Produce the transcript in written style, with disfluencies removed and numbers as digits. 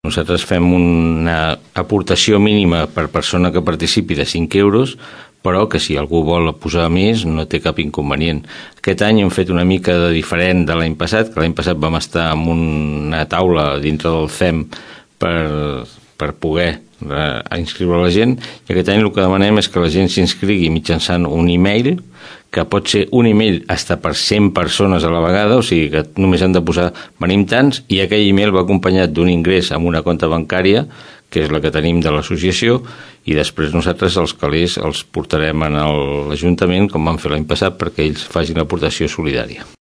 Nosaltres fem una aportació mínima per persona que participi de 5 euros, però que si algú vol posar més no té cap inconvenient. Aquest any hem fet una mica de diferent de l'any passat, que l'any passat vam estar en una taula dintre del CEM per poder inscriure la gent, i aquest any el que demanem és que la gent s'inscrigui mitjançant un e-mail, que pot ser un e-mail hasta per 100 persones a la vegada, o sigui que només han de posar venim tants, i aquell e-mail va acompanyat d'un ingrés amb una compta bancària, que és la que tenim de l'associació, i després nosaltres els calés els portarem a l'Ajuntament, com vam fer l'any passat, perquè ells facin l'aportació solidària.